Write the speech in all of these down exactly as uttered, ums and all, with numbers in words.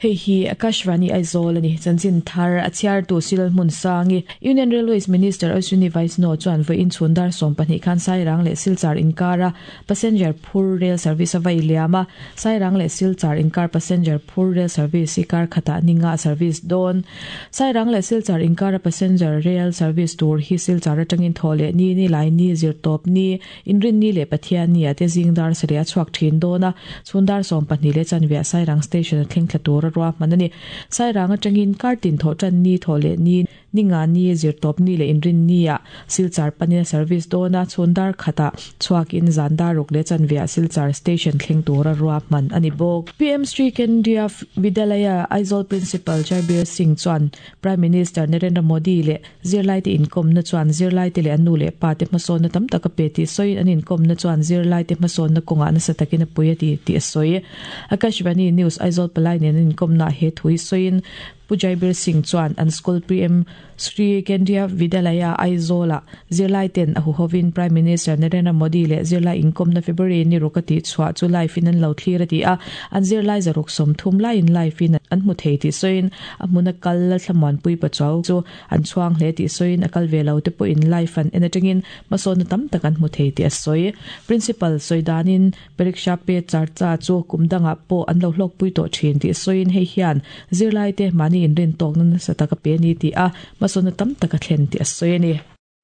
Hei hi Akashvani Aizawl ani chanchin thar a chhiar tu Silal hmun sangi Union Railways Minister Ashwini Vaishnaw chuan voi in chhundar som pahnih khan Sairang leh Silchar inkara passenger phur rail service a vai liama Sairang leh Silchar inkar passenger phur rail service i kar khata ninga service don Sairang leh Silchar inkara passenger rail service tur hi Silchar atangin thole ni ni lai ni zir top ni inrin ni le Pathian ni ate zingdar saria chuak thin dona chhundar som pahnih le chanvia Sairang station thleng thla tur ruwa manani Sairang atangin kartin tho chan ni thole ni ninga ni zir top ni le inrin ni a Silchar panina service dona chhundar khata chuak in zandar ruk le chanvia Silchar station thleng tura ruwa man ani bok P M Sri Kendriya Vidyalaya Aizawl Principal Jarbir Singh chuan Prime Minister Narendra Modi le zirlai te inkom na chuan zirlai te le anu le pa te hmasawn na tam taka pe ti soin an inkom na chuan zirlai te hmasawn na kawnga nasa takin a pui a ti ti a sawi Akashvani News Aizawl palai nen an inkom na he thui soin Pujaibir Singh chuan an school P M Sri Kendriya Vidyalaya Aizawl zirlai ten a huhovin Prime Minister Narendra Modi le zirlai inkom na February ni rukati chhuah chu live in an lo thlir ati a an zirlai zaruk som thum lai in live in an hmu thei ti soin a hmuna kal la thlamuan pui pachaw chu an chhuang hle ti soin a kal ve lo te pawh in live an en atangin hmasawn na tam tak an hmu thei ti a sawi Principal Soidanin Pariksha pe charcha chu kumdanga pawh an lo hlawk pui tawh thin ti soin hei hian zirlai te mani in rin tawk na nasa taka pe ni ti a hmasawn na tam taka thlen ti a sawi ani.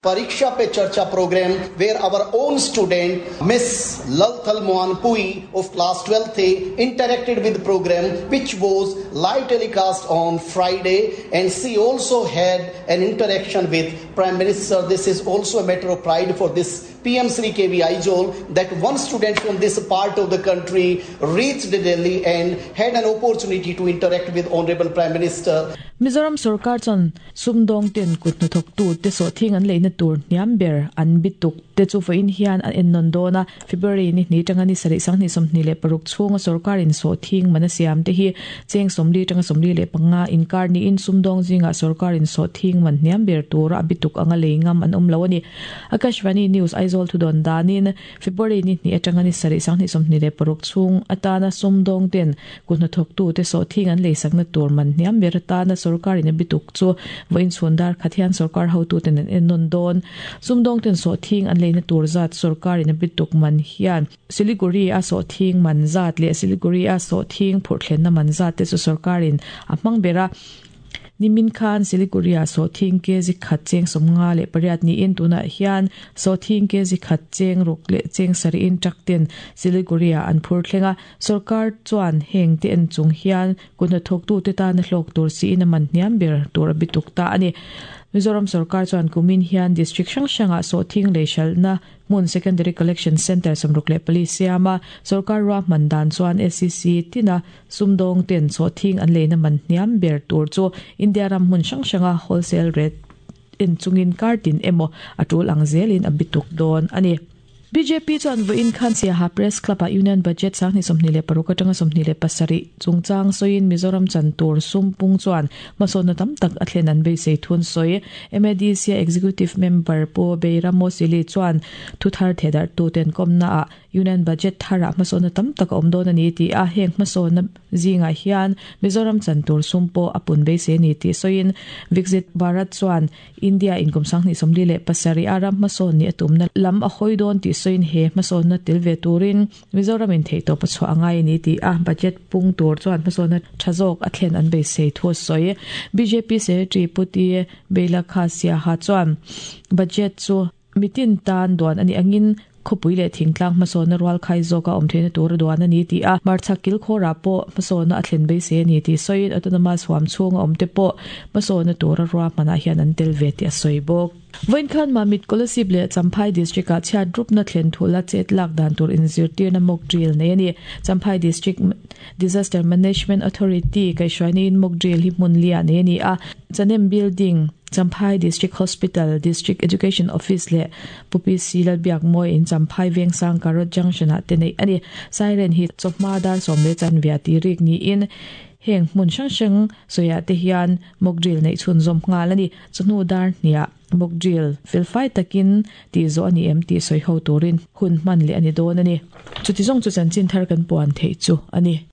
Pariksha Pe Charcha program where our own student Miss Lalthal Mohan Pui of class twelfth A interacted with the program, which was live telecast on Friday, and she also had an interaction with Prime Minister. This is also a matter of pride for this P M Sri K V Aizawl that one student from this part of the country reached Delhi and had an opportunity to interact with Honorable Prime Minister. Mizoram Sarkar chuan sumdawng ten kut hnathawk tu te sawh thing an leina tur hniam ber an bituk te chu vawiin hian an en nawn dawn a February ni hni tanga ni sarih sanghnih sawmhnih leh paruk chhunga sarkar in sawh thing man a siam te hi cheng sawmli tanga sawmli leh panga inkar niin sumdawng zinga sarkar in sawh thing man hniam ber tura a bituk anga lei ngam an awm lo ani. Akashvani News Aizawl thu dawn danin February ni hni atanga ni sarih sanghnih sawmhnih leh paruk chhung atana sumdawng ten kut hnathawk tu te sawh thing an lei sakna tur man hniam ber atana sarkar in a bituk chu vawiin chhundar khathian sarkar hotu ten an en nawn dawn sumdawng ten sawh thing an leina tur zat sarkar in a bituk man hian Siliguri a sawh thing man zat leh Siliguri a sawh thing phurh thlenna man zat te chu sarkar in a hmang bera nimin khan Siliguri a sawh thing kg khat cheng sawmnga leh pariat ni in tunah hian sawh thing kg khat cheng ruk leh cheng sarih in truck ten Siliguri a an phur thlenga sarkar chuan heng te en chung hian kut hnathawk tu te tana hlawk tur si in a man hniam ber tur a bituk ta ani. Mizoram Sarkar chuan kumin hian district hrang hranga sawh thing lei hralhna hmun secondary collection center sawmruk leh pali siama sarkar ruahman dan chuan S C C tina sumdawng ten sawh thing an leina man hniam ber tur chu India ram hmun hrang hranga wholesale rate en chungin kartin emaw a tul ang zelin a bituk dawn ani. B J P chuan vawiin khan Siaha Press Club a Union Budget sanghnih sawmhnih leh paruk atanga sawmhnih leh pasarih chungchang sawiin Mizoram chan tur sumpung chuan hmasawn na tam tak a thlen an beisei thun sawi M A D C Executive Member Pu Beiramo Sili chuan thuthar thedar tu ten kawmna a Union Budget thara hmasawn na tam tak a awm dawn ani ti a heng hmasawn na zinga hian Mizoram chan tur sumpo a pun beisei ni ti sawiin Viksit Bharat chuan India in kum sanghnih sawmli leh pasarih a ram hmasawn ni a tumna lam a hawi dawn ti soin he hmasawn na tel ve turin Mizoram in thei tawp a chhuah angai ni ti a budget pung tur chuan hmasawn na tha zawk a thlen an beisei thu sawi B J P Secretary Puti Beilakha Siaha chuan budget chu mitin tan duan ani angin khawpui leh thingtlang hmasawn na rual khai zawk a awm theihna tur duan ani ti a marchhak kil khawra pawh hmasawn na a thlen beisei ani ti sawiin autonomous huam chhunga awm te pawh hmasawn na tura ruahmanah hian an tel ve ti a sawi bawk. Vawiin khan Mamit Kolasib leh Champhai District ah chhiat rup na thlen thula chet lak dan tur inzirtir na mock drill nei ani. Champhai District Disaster Management Authority kaihhruaina in mock drill hi hmun lia nei ani a Chanem Building Champhai District Hospital District Education Office leh Pupi C Lalbiak Mawi in Champhai Vengsang Karot Junction ah te nei ani. Siren hi chawhma dar sawm leh chanvia ti rik niin heng hmun hrang hrang sawiah te hian mock drill nei chhun zawm nghal ani. Chawhnu dar hniah mock drill felfai takin ti zawh ani em ti sawi ho turin hun hman leh ani dawn ani. Chuti zawng chu chanchin thar kan puan thei chu ani.